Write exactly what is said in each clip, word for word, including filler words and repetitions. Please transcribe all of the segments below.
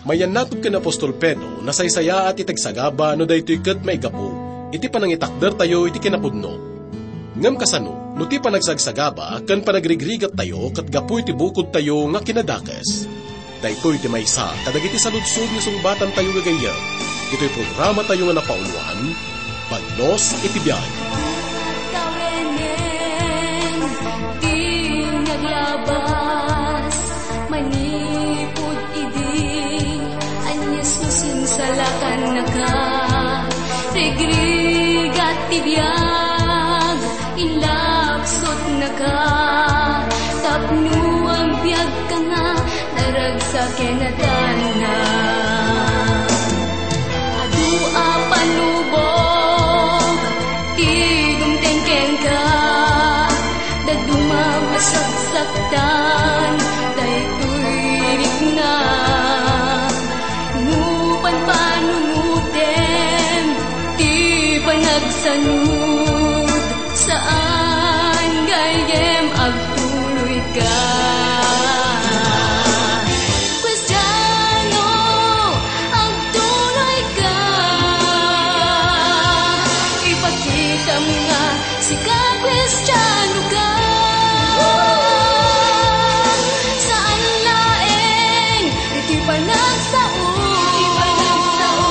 Mayannatog ken apostol Pedro, nasaysayaat iti agsagaba no daytoy ket maigapu iti panangitakdertayo iti kinapudno. Ngem kasano no ti panagsagsagaba ken panagrigrigattayo ket gapu iti bukodtayo nga kinadakes? Daytoy ti maysa kadagiti saludsod nga sungbatantayo gagayyem iti programatayo nga napauloan, Bagnos iti Biag. Tawenen ti naglabas manipud idi, anyas no sinsalakannaka, rigrigat ti biag, inlapsutnaka, tapno agbiagka nga naragsak ken natanna. Adu a panubog ti dumteng kenka, dadduma masaksaktan daytoy rikna. No panpanunotem ti panagsanud, saan gayyem agtuloyka. Kristiano, agtuloyka. Ipakitam nga sika Kristiano ka. Saan laeng iti panagsao, iti panagsao,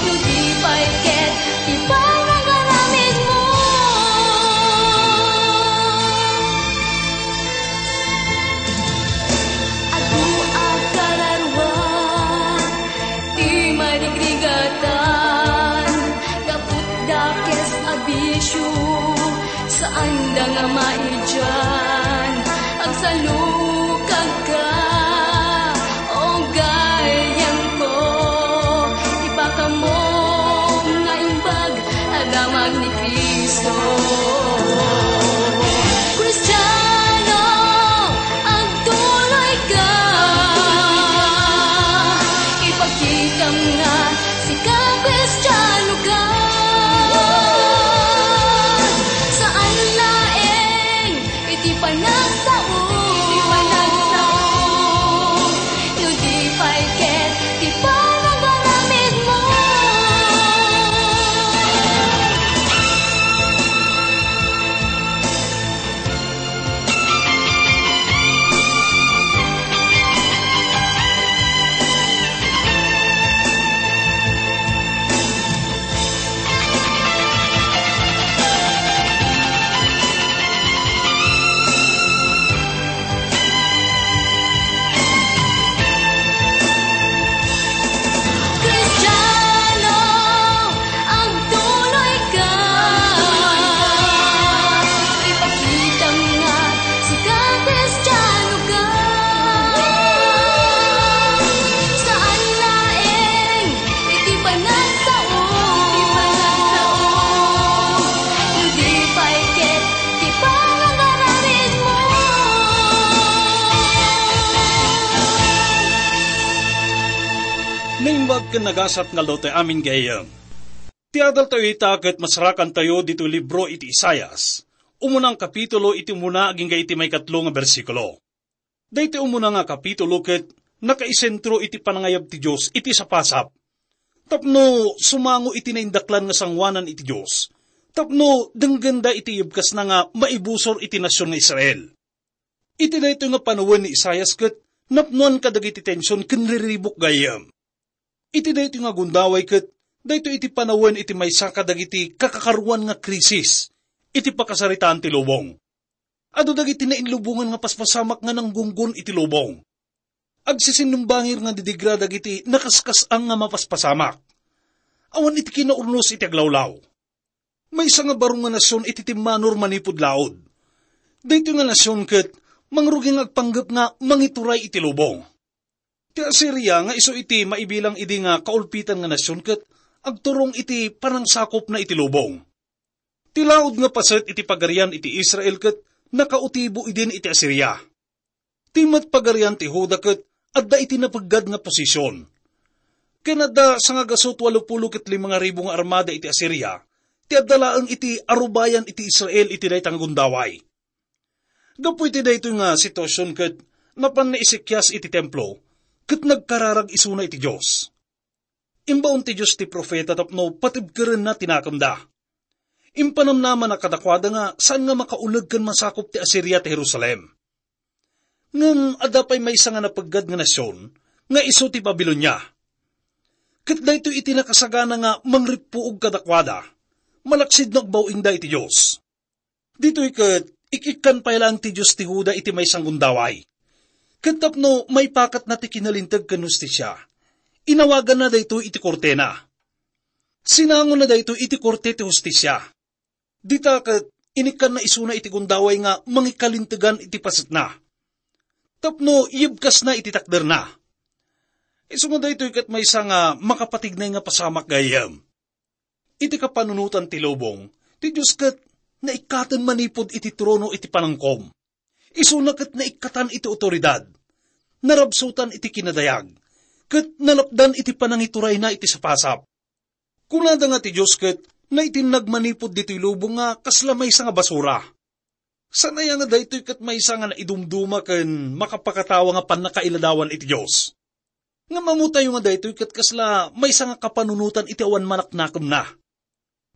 no di pay ket ti panagaramidmo. Adu a kararua ti marigrigatan gapu dakes a bisio, saanda nga maidian. Agsalukagka, o gayyemko, ipakamo nga imbag a damag ni Cristo. Kristiano, agtuloyka. Ipakitam nga sika Kristiano ka. Saan laeng iti panagsao, iti panagsao, no di pay ket ti panagaramidmo. Kristiano, agtuloyka. Ipakitam nga sika Kristiano ka. Saan laeng iti panagsao, iti panagsao, no di pay ket ti panagaramidmo. Naimbag ken nagasat nga aldaw ti amin gayyem. Ti adaltayo ita ket masarakantayo ditoy libro iti Isaias, umunang kapitulo iti umuna agingga iti maikatlo nga bersikulo. Daytoy umuna nga kapitulo ket nakaisentro iti panangayab ti Dios iti sapasap tapno sumango iti naindaklan nga sangoanan iti Dios, tapno denggenda iti ibkasna nga maibusor iti nasion nga Israel. Iti daytoy nga panawen ni Isaias ket napnoan kadagiti tension ken riribuk gayyem. Iti daytoy nga gundaway ket daytoy iti panawen iti maysa kadagiti kakakaruan nga krisis iti pakasaritaan ti lubong. Adu dagiti nainlubongan nga paspasamak nga nanggunggon iti lubong. Agsisinumbangir nga didigra dagiti nakaskas-ang nga mapaspasamak. Awan iti kinaurnos iti aglawlaw. Maysa nga baro nga nasion iti timmanor manipud laud. Daytoy nga nasion ket mangrugi nga agpanggep nga mangituray iti lubong. Ti Asiria nga isu iti maibilang idi nga kaulpitan nga nasion ket agturong iti panangsakopna iti lubong. Ti laud nga paset iti pagarian iti Israel ket nakautibo idin iti Asiria. Ti met pagarian ti Juda ket adda iti napeggad nga posision. Ken adda sangagasut walupulo ket lima nga ribu nga armada iti Asiria, ti adda laeng iti arubayan iti Israel iti dayta nga gundaway. Gapu iti daytoy nga situasion ket napan ni Ezekias iti templo, ket nagkararag isuna iti Dios. Imbaon ti Dios ti profeta tapno patibkerenna ti nakemda. Impanamnamana kadakuada nga saan nga makauneg ken masakop ti Asiria ti Jerusalem. Ngem adda pay maysa nga napeggad nga nasion nga isu ti Babilonia. Ket daytoy iti nakasagana nga mangrippuog kadakuada, malaksid no agbaw-ingda iti Dios. Ditoy ket, ik-ikkan pay laeng ti Dios ti Juda iti maysa nga gundaway. Ket tapno maipakatna ti kinalinteg ken hustisia, inawaganna daytoy iti kortena. Sinangona daytoy iti korte ti hustisia. Dita ket, inikkanna isuna iti gundaway nga mangikalintegan iti pasekna. Tapno yebkasna iti takderna. Isu nga daytoy ket maysa nga makapatignay nga pasamak gayyem. Iti kapanunotan ti lubong, ti Dios ket naikkaten manipud iti trono iti panangkom. Isuna ket naikkatan iti awtoridad. Narabsutan iti kinadayag, ket nalapdan iti panangiturayna iti sapasap. Kunada nga ti Dios ket naitinnag manipud ditoy lubong nga kasla maysa nga basura. Saan aya nga daytoy ket maysa nga naidumduma ken makapakatawa nga pannakailadawan iti Dios? Ngem ammotayo nga daytoy ket kasla maysa nga kapanunotan iti awan manaknakemna.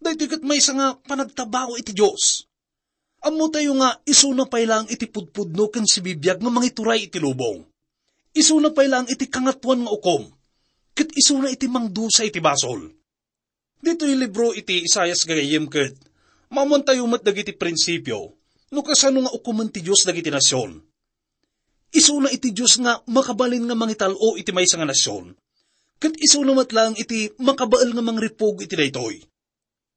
Daytoy ket maysa nga panagtabaw iti Dios. Ammotayo nga isuna pay laeng iti pudpudno ken sibibiag nga mangituray iti lubong. Isuna pay laeng iti kangatoan nga ukom, ket isuna iti mangdusa iti basol. Ditoy libro iti Isaias gagayyem ket, maammoantayo met dagiti prinsipio no kasano nga ukomen ti Dios dagiti nasion. Isuna iti Dios nga makabalin nga mangital-o iti maysa nga nasion, ket isuna met laeng iti makabael nga mangripug iti daytoy.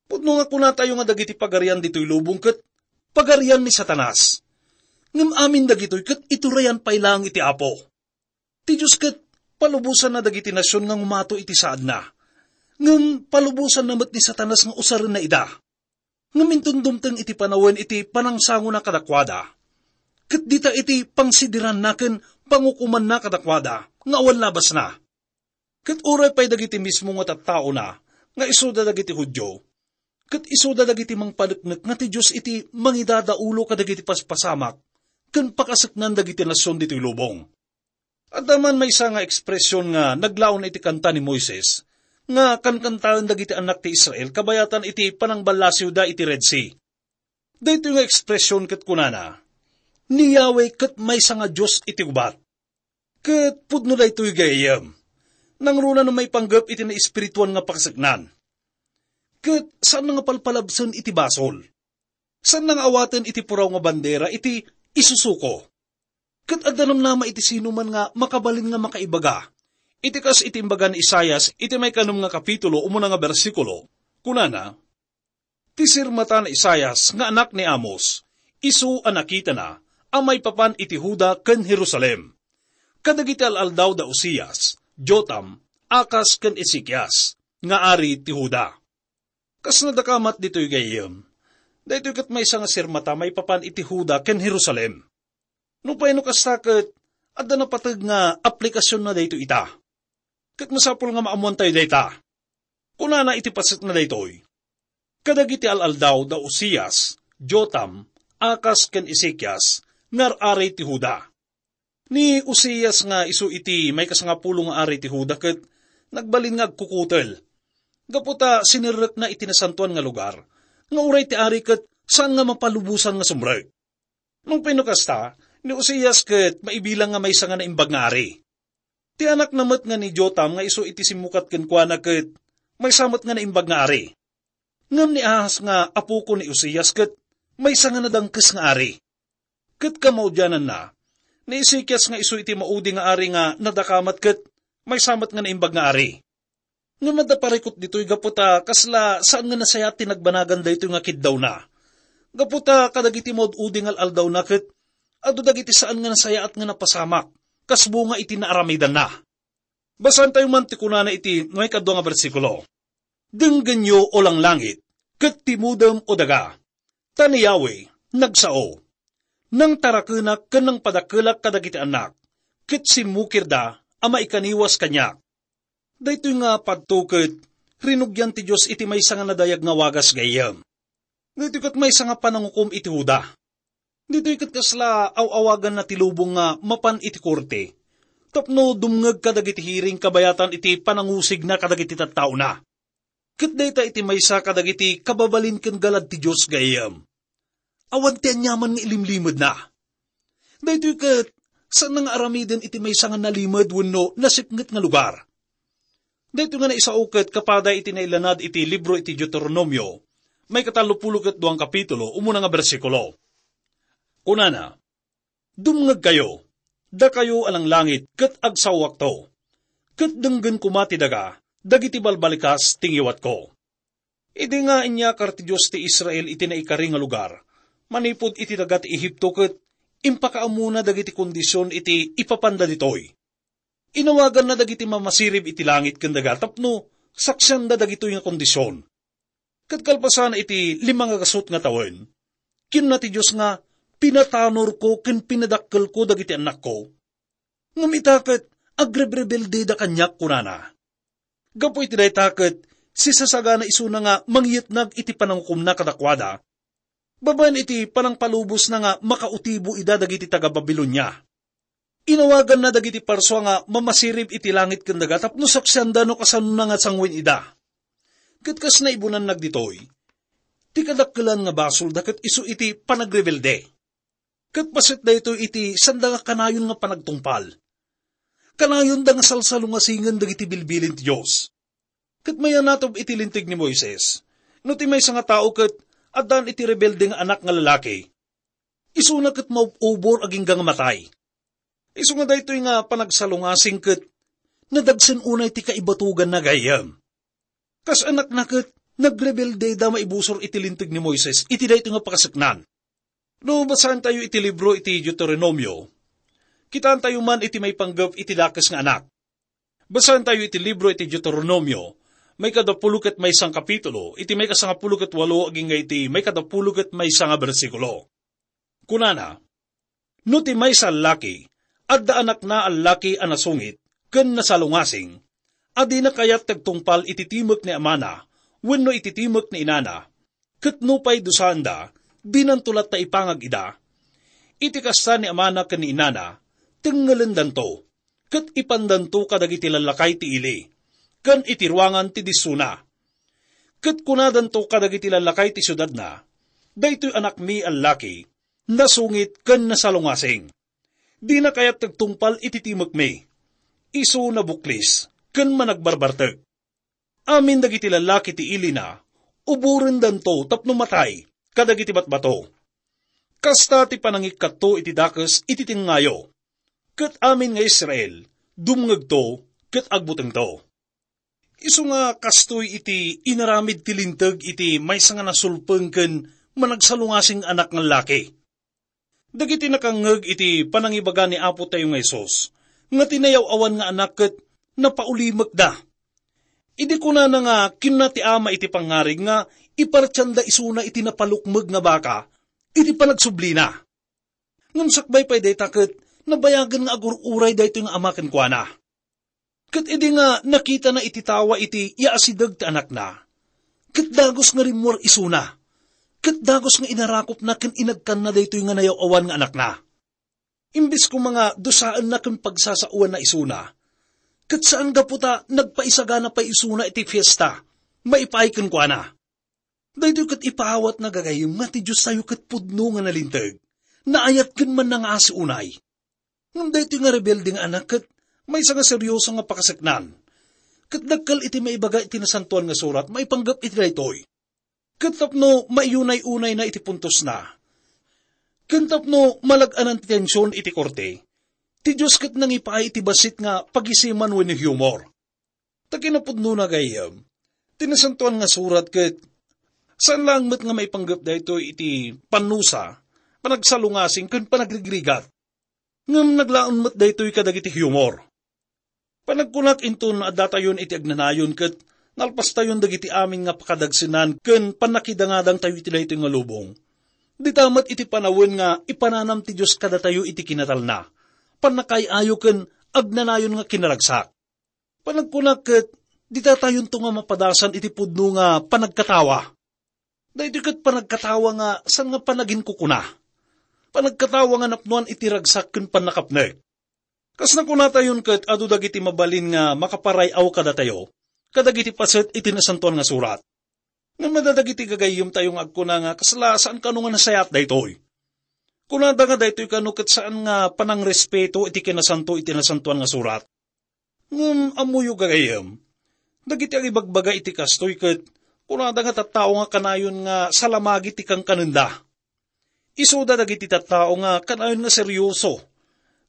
Pudno nga kunatayo nga dagiti pagarian ditoy lubong ket pagarian ni Satanas. Ngem amin dagitoy ket iturayan pay laeng iti Apo. Ti Dios ket palubosanna dagiti nasion nga ngumato iti saadna. Ngem palubosanna met ni Satanas nga usarenna ida. Ngem inton dumteng iti panawen iti panangsangona kadakuada, ket dita iti pangsidiranna ken pangukomanna kadakuada nga awan labasna. Ket uray pay dagiti mismo nga tattaona nga isuda dagiti Judio, ket isuda dagiti mangpaneknek nga ti Dios iti mangidadaulo kadagiti paspasamak ken pakaseknan dagiti nasion ditoy lubong. Adda man maysa nga ekspresion nga naglaon iti kanta ni Moises nga kankantaen dagiti annak ti Israel kabayatan iti panangballasiwda iti Red Sea. Daytoy nga ekspresion ket kunana, "Ni Yahweh ket maysa nga Dios iti gubat." Ket pudno daytoy gayyem. Nangruna no maipanggep iti naespirituan nga pakaseknan. Ket saan nga palpalabsen iti basol. Saan nga awaten iti puraw nga bandera iti isusuko. Ket adda namnama iti sinuman nga makabalin nga makaibaga. Iti kas iti imbaga ni Isaias iti maikanom nga kapitulo, umuna nga bersikulo, kunana, "Ti sirmata ni Isaias nga anak ni Amos, isu a nakitana a maipapan iti Juda ken Jerusalem, kadagiti al-aldaw da Uzias, Jotam, Acaz ken Ezekias, nga ari ti Juda." Kas nadakamat ditoy gayyem, daytoy ket maysa nga sirmata maipapan iti Juda ken Jerusalem. Nupay no kasta ket adda napateg nga aplikasionna daytoy ita. Ket masapul nga maammoantayo dayta. Kunana iti pasekna daytoy, "Kadagiti al-aldaw da Uzias, Jotam, Acaz ken Ezekias, nga ar-ari ti Juda." Ni Uzias nga isu iti maikasangapulo nga ari ti Juda ket nagbalin nga agkukutel. Gapu ta sinerrekna iti nasantoan nga lugar, nga uray ti ari ket saan nga mapalubosan nga sumrek. Nupay no kasta, ni Uzias ket maibilang nga maysa nga naimbag nga ari. Ti anakna met nga ni Jotam nga isu iti simmukat kenkuana ket maysa met nga naimbag nga ari. Ngem ni Ahaz nga apoko ni Uzias ket maysa nga nadangkes nga ari. Ket kamaudiananna, ni Ezekias nga isu iti maudi nga ari nga nadakamat ket maysa met nga naimbag nga ari. Ngem adda parikut ditoy gapu ta kasla saan nga nasayaat ti nagbanagan daytoy nga kiddawna. Gapu ta kadagiti maud-udi nga al-aldawna ket adu dagiti saan nga nasayaat nga napasamak kas bunga iti naaramidanna. Basaentayo man ti kunana iti maikadua nga bersikulo, "Denggenyo, o langlangit, ket timudem, o daga, ta ni Yahweh nagsao. Nangtarakenak ken nangpadakelak kadagiti annak, ket simmukirda a maikaniwas kaniak." Daytoy nga padto ket rinugian ti Dios iti maysa nga nadayag nga wagas gayyem. Daytoy ket maysa nga panangukom iti Juda. Ditoy ket kasla aw-awaganna ti lubong nga mapan iti korte, tapno dumngeg kadagiti hiring kabayatan iti panangusigna kadagiti tattaona. Ket dayta iti maysa kadagiti kababalin ken galad ti Dios gayyem. Awan ti aniaman nga ilimlimedna. Daytoy ket, saan nga aramiden iti maysa nga nalimed wenno nasipnget nga lugar. Daytoy nga naisao ket kapada iti nailanad iti libro iti Deuteronomio, maikatallopulo ket duang kapitulo, umuna nga bersikulo. Kunana, "Dumngegkayo, dakayo a langlangit, ket agsawakto, ket denggen koma ti daga dagiti balbalikas ti ngiwatko." Idi nga inyakar ti Dios ti Israel iti naikari nga lugar, manipud iti daga ti Egipto, ket impakaammona dagiti kondision iti ipapanda ditoy. Inawaganna dagiti mamasirib iti langit ken daga tapno saksianda dagitoy nga kondision. Ket kalpasan iti lima nga gasut nga tawen, kinuna ti Dios nga, "Pinatanorko ken pinadakkelko dagiti annakko. Ngem ita ket agrebrebelde da kaniak," kunana. Gapu iti dayta ket sisasagana isuna nga mangyetnag iti panangukomna kadakuada, babaen iti panangpalubosna nga makautibo ida dagiti taga-Babilonia. Inawaganna dagiti parsua nga mamasirib iti langit ken daga tapno saksianda no kasano nga sanguen ida. Ket kas naibunannag ditoy, ti kadakkelan nga basolda ket isu iti panagrebelde. Ket paset daytoy iti sanda nga kanayon nga panagtungpal. Kanayonda nga salsalungasingen dagiti bilbilin ti Dios. Ket mayanatob iti Linteg ni Moises, no ti maysa nga tao ket addaan iti rebelde nga anak nga lalaki, isuna ket maub-ubor agingga nga matay. Isu nga daytoy nga panagsalungasing ket nadagsen unay ti kaibatuganna gayyem. Kas anakna ket nagrebelde da maibusor iti Linteg ni Moises iti daytoy nga pakaseknan. No basaentayo iti libro iti Deuteronomio, kitaentayo man iti maipanggep iti dakes nga anak. Basaentayo iti libro iti Deuteronomio, maikadapulo ket maysa nga kapitulo, iti maikasangapulo ket walo agingga iti maikadapulo ket maysa nga bersikulo. Kunana, "No ti maysa a laki, adda anakna a laki a nasungit ken nasalungasing, a dina kayat ti agtungpal iti timek ni amana wenno iti timek ni inana, ket nupay dusaanda, dinanto latta ipangag ida. Iti kasta, ni amana ken ni inana, tengngelendanto, ket ipandanto kadagiti lallakay ti ili, ken iti ruangan ti dissuna. Ket kunadanto kadagiti lallakay ti siudadna, 'Daytoy anakmi a laki, nasungit ken nasalungasing. Dina kayat ti agtungpal iti timekmi. Isu nabuklis ken managbarbartek.' Amin dagiti lallaki ti ilina, uborendanto tapno matay kadagiti batbato. Kasta ti panangikkatto iti dakes iti tengngayo. Ket amin nga Israel, dumngegto ket agbutengto." Isu nga kastoy iti inaramid ti Linteg iti maysa nga nasulpeng ken managsalungasing anak nga laki. Dagiti nakangngeg iti panangibaga ni Apo tayo nga Jesus, nga ti nayaw-awan nga anak ket napaulimekda. Idi kunana nga kinuna ti ama iti pangngarig nga ipartianda isuna iti napalukmeg nga baka iti panagsublina. Ngem sakbay pay dayta ket nabayagen nga agur-uray daytoy nga ama kenkuana. Ket idi nga nakitana iti tawa iti yaasideg ti anakna, ket dagus nga rimmuar isuna, ket dagus nga inarakopna ken inagkanna daytoy nga nayaw-awan nga anakna. Imbes koma nga dusaenna ken pagsasaoanna isuna, ket saan gapu ta nagpaisagana pay isuna iti fiesta maipaay kenkuana. Daytoy ket ipaawatna, gagayyem, nga ti Diostayo ket pudno nga nalinteg, naayat ken mannangaasi unay. Ngem daytoy nga rebelde nga anak ket maysa nga serioso nga pakaseknan. Ket dakkel iti maibaga iti Nasantoan nga Surat maipanggep iti daytoy. Ket tapno maiyunay-unayna iti puntosna, ken tapno malag-anan ti tension iti korte, ti Dios ket nangipaay iti bassit nga pagisiman wenno humor. Ta kinapudnona, gayyem, ti Nasantoan nga Surat ket saan laeng met nga maipanggep daytoy iti pannusa, panagsalungasing, ken panagrigrigat. Ngem naglaon met daytoy kadagiti humor. Panagkunak, inton addatayon iti agnanayon ket nalpastayon dagiti amin nga pakadagsenan ken pannakidangadangtayo iti daytoy nga lubong, dita met iti panawen nga ipananam ti Dios kadatayo iti kinatalna, pannakaay-ayo ken agnanayon nga kinaragsak. Panagkunak ket ditatayonto nga mapadasan iti pudno nga panagkatawa. Daytoy ket panagkatawa nga saan nga panaginkukuna. Panagkatawa nga napnoan iti ragsak ken pannakapnek. Kas nakunatayon ket adu dagiti mabalin nga makaparay-aw kadatayo, kadagiti paset iti Nasantoan nga Surat. Ngem adda dagiti gagayyemtayo nga agkuna nga kasla saan kano nga nasayaat daytoy. Kunada nga daytoy kano ket saan nga panangrespeto iti kinasanto iti Nasantoan nga Surat. Ngem ammoyo, gagayyem, dagiti agibagbaga iti kastoy ket kunada nga tattao nga kanayon nga salamagi ti kankanenda. Isuda dagiti tattao nga kanayon nga serioso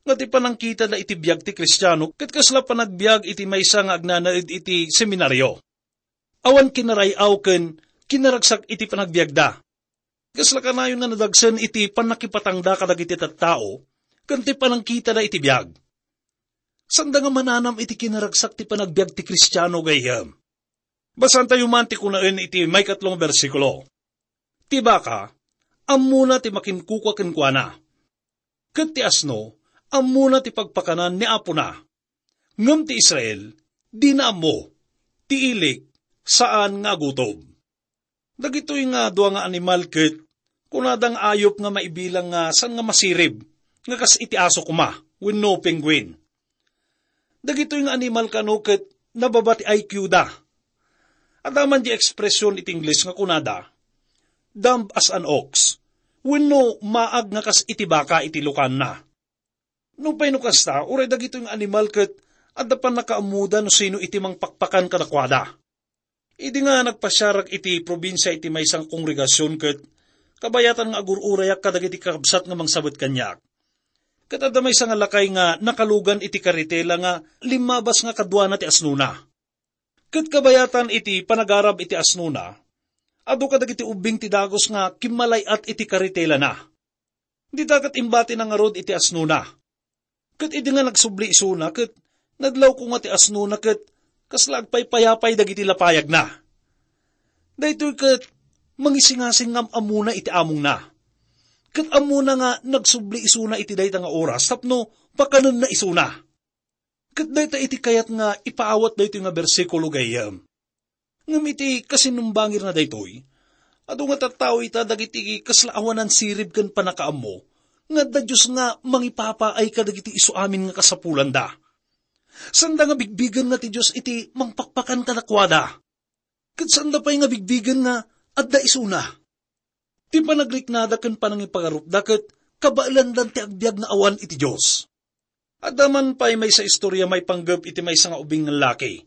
nga ti panangkitada iti biag ti Kristiano ket kasla panagbiag iti maysa nga agnanaed iti seminario. Awan kinaray-aw ken kinaragsak iti panagbiagda. Kasla kanayon nga nadagsen iti pannakipatangda kadagiti tattao ken ti panangkitada iti biag. Sanda nga mananam iti kinaragsak ti panagbiag ti Kristiano, gayyem. Basaantayo man ti kunaen iti maikatlo nga bersikulo. Ti baka, ammona ti makinkukua kenkuana. Ket ti asno, ammona ti pagpakanan ni apona. Ngem ti Israel, dina ammo. Ti ilik, saan nga agutob. Dagitoy nga dua nga animal ket kunada nga ayup nga maibilang nga saan nga masirib, nga kas iti aso koma, wenno penguin. Dagitoy nga animal kano ket nababa ti I Q da. Adda man di ekspresion iti Ingles nga kunada, "Dumb as an ox," wenno maag nga kas iti baka iti lukanna. Nupay no kasta, uray dagitoy nga animal ket adda pannakaammoda no sino iti mangpakpakan kadakuada. Idi nga nagpasiarak iti probinsia iti maysa nga kongregasion ket kabayatan nga agur-urayak kadagiti kakabsat nga mangsabet kaniak. Ket adda maysa nga lakay nga nakalugan iti karitela nga limmabas nga kaduana ti asnona. Ket kabayatan iti panagarab iti asnona, adu kadagiti ubbing ti dagus nga kimmalay-at iti karitelana. Dita ket imbatina ngarud iti asnona. Ket idi nga nagsubli isuna, ket nadlawko nga ti asnona ket kasla agpaypayapay dagiti lapayagna. Daytoy ket mangisingasing nga am-ammona iti amongna. Ket ammona nga nagsubli isuna iti dayta nga oras tapno pakanenna isuna. Ket dayta iti kayat nga ipaawat daytoy nga bersikulo, gayyem. Ngem iti kasinumbangirna daytoy, adu nga tattao ita dagiti kasla awanan sirib ken pannakaammo nga adda Dios nga mangipapaay kadagiti isu amin nga kasapulanda. Sanda nga bigbigen nga ti Dios iti mangpakpakan kadakuada. Ket sanda pay nga bigbigen nga adda isuna. Ti panagriknada ken panangipagarupda ket kabaelandan ti agbiag nga awan iti Dios. Adda man pay maysa istorya maipanggep iti maysa nga ubing nga laki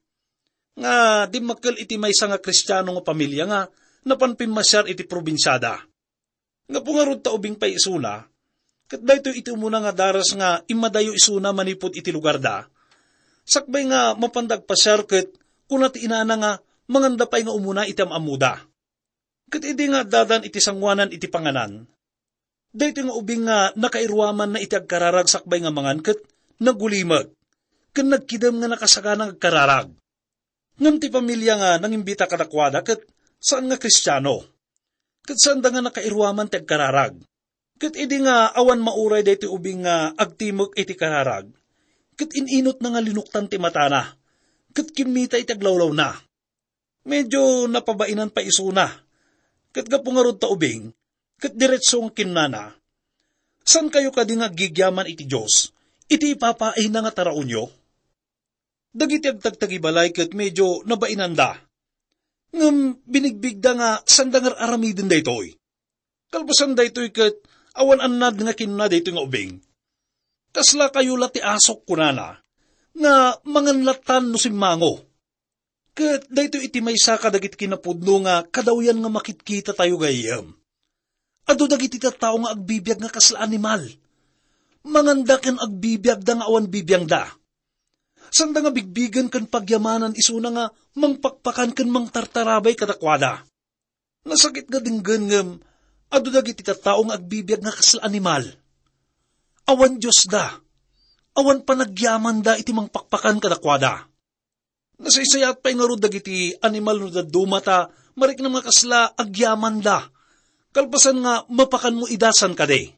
nga dimmakkel iti maysa nga Kristiano nga pamilia nga napan pimmasiar iti probinsiada. Gapu ngarud ta ubing pay isuna, ket daytoy iti umuna nga daras nga immadayo isuna manipud iti lugarda. Sakbay nga mapanda agpasiar ket kuna ti inana nga manganda pay nga umuna iti am-ammoda. Ket idi nga addadan iti sangoanan iti panganan, daytoy nga ubing nga nakairuamanna iti agkararag sakbay nga mangan ket nagulimek, ken nagkidem nga nakasagana nga agkararag. Ngem ti pamilia nga nangimbita kadakuada ket saan nga Kristiano, ket saanda nga nakairuaman ti agkararag. Ket idi nga awan mauray daytoy ubing nga agtimek iti kararag, ket in-inotna nga linuktan ti matana, ket kimmita iti aglawlawna. Medio napabainan pay isuna. Ket gapu ngarud ta ubing, ket diretso nga kinnana, "Saan kayo kadi nga aggigyaman iti Dios, iti ipapaayna nga taraonyo?" Dagiti agtagtagibalay ket medio nabainanda. Ngem binigbigda nga sanda nga ar-aramiden daytoy. Kalpasan daytoy ket awan annad nga kinuna daytoy nga ubing, "Kasla kayo la ti asok," kunana, "nga mangan lattan no simmango." Ket daytoy iti maysa kadagiti kinapudno nga kadawyan nga makitkitatayo gayyem. Adu dagiti tattao nga agbibiag nga kasla animal. Manganda ken agbibiagda nga awan bibiangda. Sanda nga bigbigen ken pagyamanan isuna nga mangpakpakan ken mangtartarabay kadakuada. Nasakit nga denggen ngem adu dagiti tattao nga agbibiag nga kasla animal. Awan Diosda. Awan panagyamanda iti mangpakpakan kadakuada. Nasaysayaat pay ngarud dagiti animal no dadduma ta mariknam nga kasla agyamanda, kalpasan nga mapakanmo ida san kadi.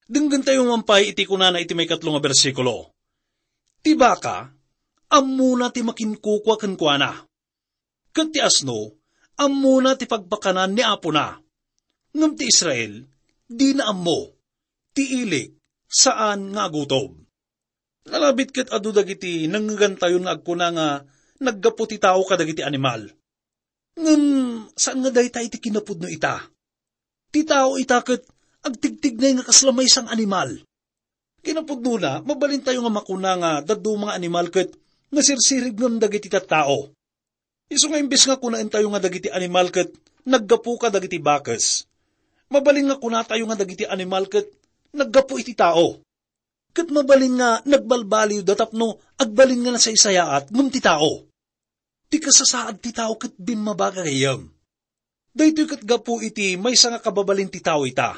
Denggentayo man pay iti kunana iti maikatlo nga bersikulo, "Ti baka, ammona ti makinkukua kenkuana. Ket ti asno, ammona ti pagpakanan ni apona. Ngem ti Israel, dina ammo. Ti ilik, saan nga agutob." Nalabit ket adu dagiti nangngegantayon nga agkuna nga naggapu ti tao kadagiti animal. Ngem saan nga dayta iti kinapudno ita. Ti tao ita ket agtigtignay nga kasla maysa nga animal. Kinapudnona, mabalintayo nga makuna nga dadduma nga animal ket nasirsirib ngem dagiti tattao. Isu nga imbes nga kunaentayo nga dagiti animal ket naggapu kadagiti bakes, mabalin nga kunatayo nga dagiti animal ket naggapu iti tao. Ket mabalin nga nagbalbaliwda tapno agbalin nga nasaysayaat ngem ti tao. Ti kasasaad ti tao ket bimmaba, gagayyem. Daytoy ket gapu iti maysa nga kababalin ti tao ita.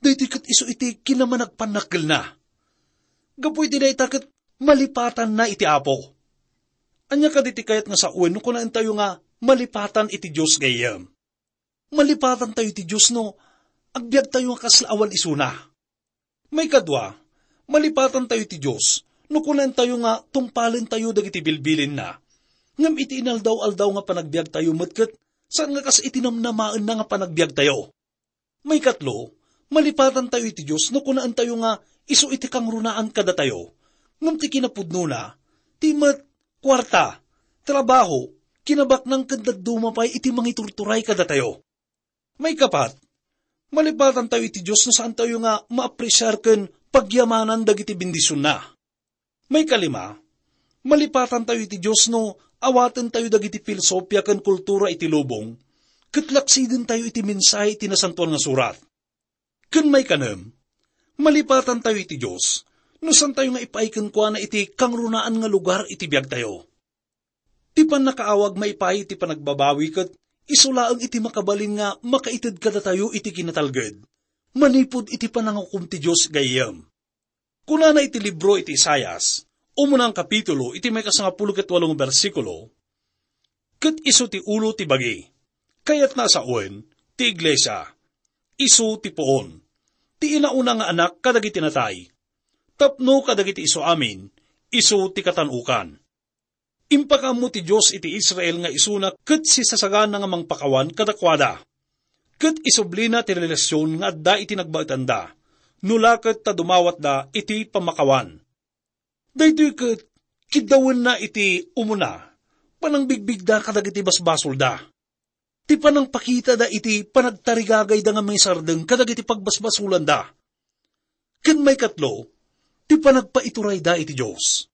Daytoy ket isu iti kinamanagpannakkelna. Gapu iti dayta ket malipatanna iti Apo. Ania kadi ti kayat nga sawen no kunaentayo nga malipatan iti Dios, gayyem? Malipatantayo iti Dios no agbiagtayo nga kasla awan isuna. Maikadua, malipatantayo iti Dios no kunaentayo nga tungpalentayo dagiti bilbilinna. Ngem iti inaldaw-aldaw nga panagbiagtayo met ket saan nga kas iti namnamaenna nga panagbiagtayo. Maikatlo, malipatantayo iti Dios no kunaentayo nga isu iti kangrunaan kadatayo. Ngem ti kinapudnona, ti met, kuarta, trabaho, kinabaknang ken dadduma pay iti mangiturturay kadatayo. Maikapat, malipatantayo iti Dios no saantayo nga maapresiar ken pagyamanan dagiti bendisionna. Maikalima, malipatantayo iti Dios no awatentayo dagiti filosofia ken kultura iti lubong, ket laksidentayo iti mensahe iti Nasantoan nga Surat. Ken maikanem, malipatantayo iti Dios no saantayo nga ipaay kenkuana iti kangrunaan nga lugar iti biagtayo. Ti pannakaawag maipaay iti panagbabawi ket isu laeng iti makabalin nga makaited kadatayo iti kinatalged manipud iti panangukom ti Dios, gayyem. Kunana iti libro iti Isaias, umuna nga kapitulo, iti maikasangapulo ket walo nga bersikulo, "Ket isu ti ulo ti bagi, kayatna a sawen ti iglesia, isu ti puon, ti inauna nga anak kadagiti natay, tapno kadagiti isu amin, isu ti katan-okan." Impakaammo ti Dios iti Israel nga isuna ket sisasagana nga mangpakawan kadakuada. Ket isublina ti relasion nga adda iti nagbaetanda, no la ket ta dumawatda iti pammakawan. Daytoy ket kiddawenna iti umuna, panangbigbigda kadagiti basbasolda. Ti panangpakitada iti panagtarigagayda nga mangisardeng kadagiti pagbasbasolanda. Ken maikatlo, ti panagpaiturayda iti Dios.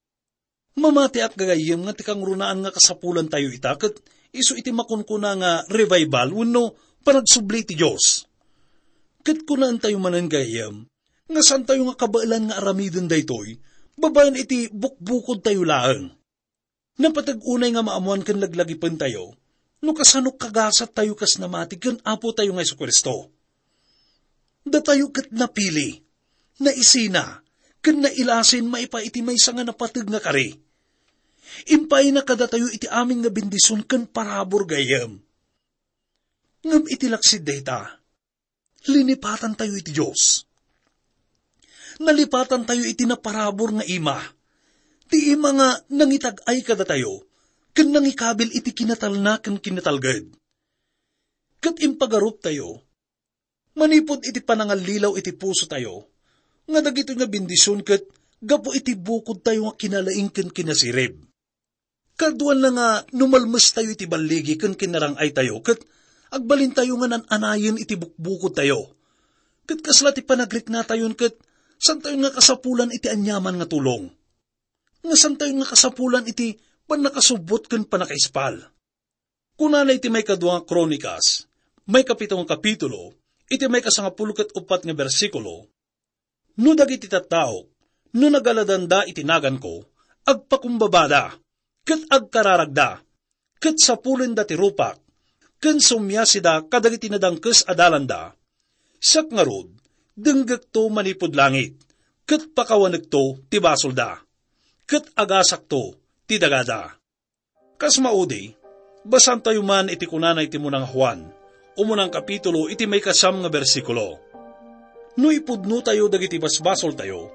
Mamatiak, gagayyem, nga ti kangrunaan nga kasapulantayo ita ket isu iti makunkuna nga revival wenno panagsubli ti Dios. Ket kunaentayo manen, gagayyem, nga saantayo nga kabaelan nga aramiden daytoy babaen iti bukbukodtayo laeng. Napateg unay nga maammoan ken laglagipentayo no kasano kagasattayo kas namati ken Apotayo nga Jesu-Cristo. Datayo ket napili, naisina, ken nailasin maipaay iti maysa nga napateg nga kari. Impaayna kadatayo iti amin nga bendision ken parabur, gayyem. Ngem iti laksid dayta, linipatantayo iti Dios. Nalipatantayo iti naparabur nga ima. Ti ima nga nangitag-ay kadatayo, ken nangikabil iti kinatalna ken kinatalged. Ket impagaruptayo, manipud iti panangallilaw iti pusotayo, nga dagitoy nga bendision ket gapu iti bukodtayo nga kinalaing ken kinasirib. Kaduanna nga no malmestayo iti balligi ken kinarang-aytayo, ket agbalintayo nga nan-anayen iti bukbukodtayo. Ket kasla ti panagriknatayon ket santayon nga kasapulan iti aniaman nga tulong. Nga santayon nga kasapulan iti pannakasubbot ken pannakaispal. Kunana iti maikadua nga Kronikas, maikapito nga kapitulo, iti maikasangapulo ket uppat nga bersikulo, "No dagiti tattaok, no nagaladanda iti naganko, agpakumbabada, ket agkararagda, ket sapulenda ti rupak, ken sumiasida kadagiti nadangkes a dalanda, siak ngarud, denggekto manipud langit, ket pakawanekto ti basolda, ket agasakto ti dagada." Kas maudi, basantayo man iti kunana iti muna nga Juan, umunang kapitulo iti maikasam nga bersikulo. No ipudnotayo dagiti basbasoltayo,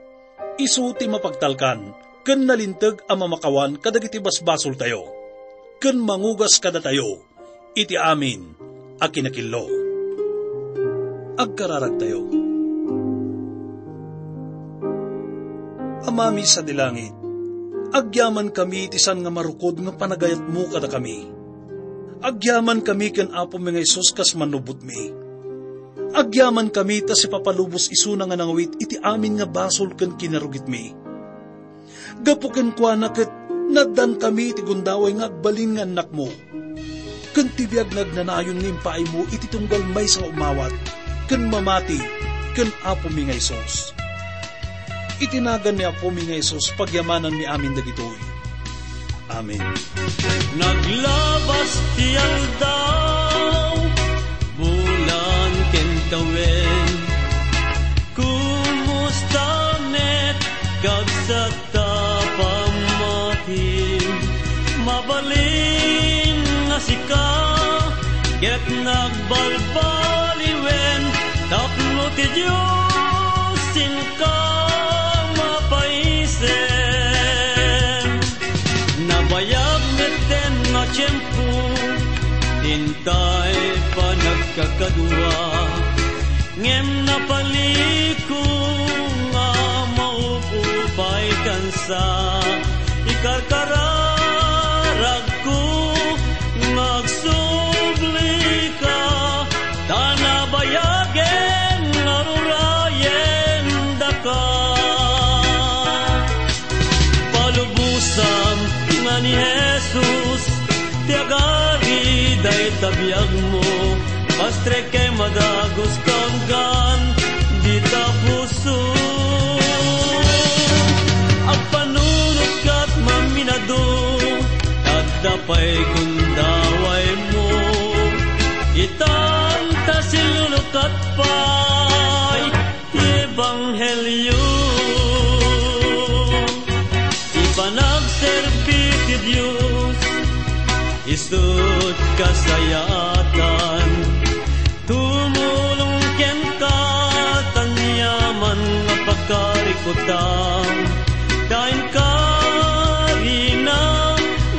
isu ti mapagtalkan ken nalinteg a mamakawan kadagiti basbasoltayo, ken mangugas kadatayo iti amin a kinakillo. Agkararagtayo. Amami sadi langit, agyamankami iti saan nga marukod nga panagayatmo kadakami. Agyamankami ken Apomi nga Jesus kas mannubotmi. Agyamankami ta sipapalubos isuna nga nangawit iti amin nga basol ken kinarugitmi. Gapu kenkuana ket naaddankami iti gundaway nga agbalin nga annakmo, ken ti biag nga agnanayon nga impaaymo iti tunggal maysa nga umawat ken mamati ken Apomi nga Jesus. Iti nagan ni Apomi nga Jesus, pagyamananmi amin dagitoy. Amen. Naglabas ti aldaw, bulan ken tawen. Kumusta met, kabsat, ta pammati? Mabalin nga sika, ket nagbalbaliwen, tapno ti Dios inka mapaisem. Nabayag metten nga tiempo, dintay panagkakadua, ngem napaliko nga maupupay kansa. Ikarkararagko nga agsublika, ta nabayagen nga rurayen daka. Palubosam nga ni Jesus ti agari dayta biagmo, pastrek ken madagos kaanggan dita puso. Agpanunot kat maminado, adda pay gundawaymo. Itan ta silulukat pay ti ebanghelio. Ti panagserbi ti Dios, isut' kasayaatan. Tumulong kenka, ta aniaman nga pakarikutam, ta inkarinam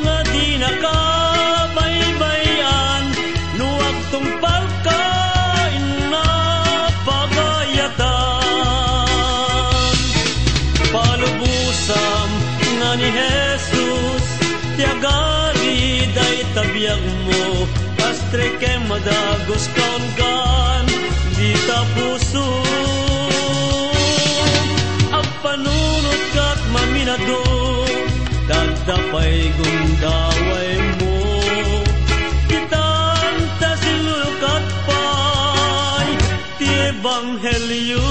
nga dinaka baybay-an, no agtungpalka inna pagayatan. Palubosam nga ni Jesus ti agari dayta biagmo, pastrek ken madagos kaanggan dita puso. Agpanunot kat maminado, adda pay gundawaymo. Itan ta silulukat pay ti ebanghelio.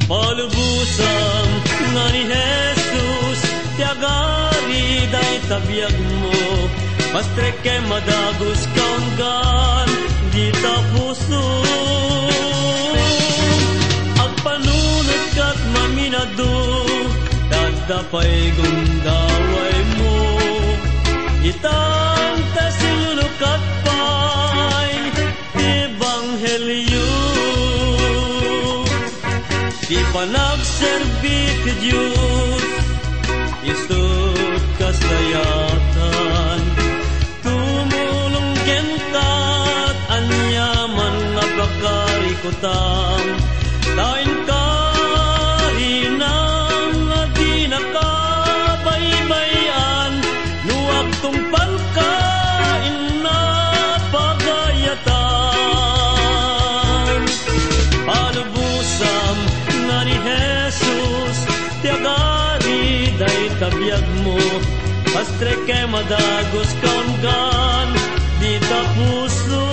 Palubosam nga ni Jesus ti agari dayta biagmo, pastrek ken madagos kaanggan dita puso. Agpanunot kat maminado, adda pay gundawaymo. Itan ta silulukat pay ti ebanghelio. Ti panagserbi ti Dios, isut' kasayaatan. Tumulong kenka, aniaman nga pakarikutam, ta inkarinam nga dinaka baybay-an, no agtungpalka inna pagayatan. Palubosam nga ni Jesus ti agari dayta biagmo, pastrek ken madagos kaanggan dita puso.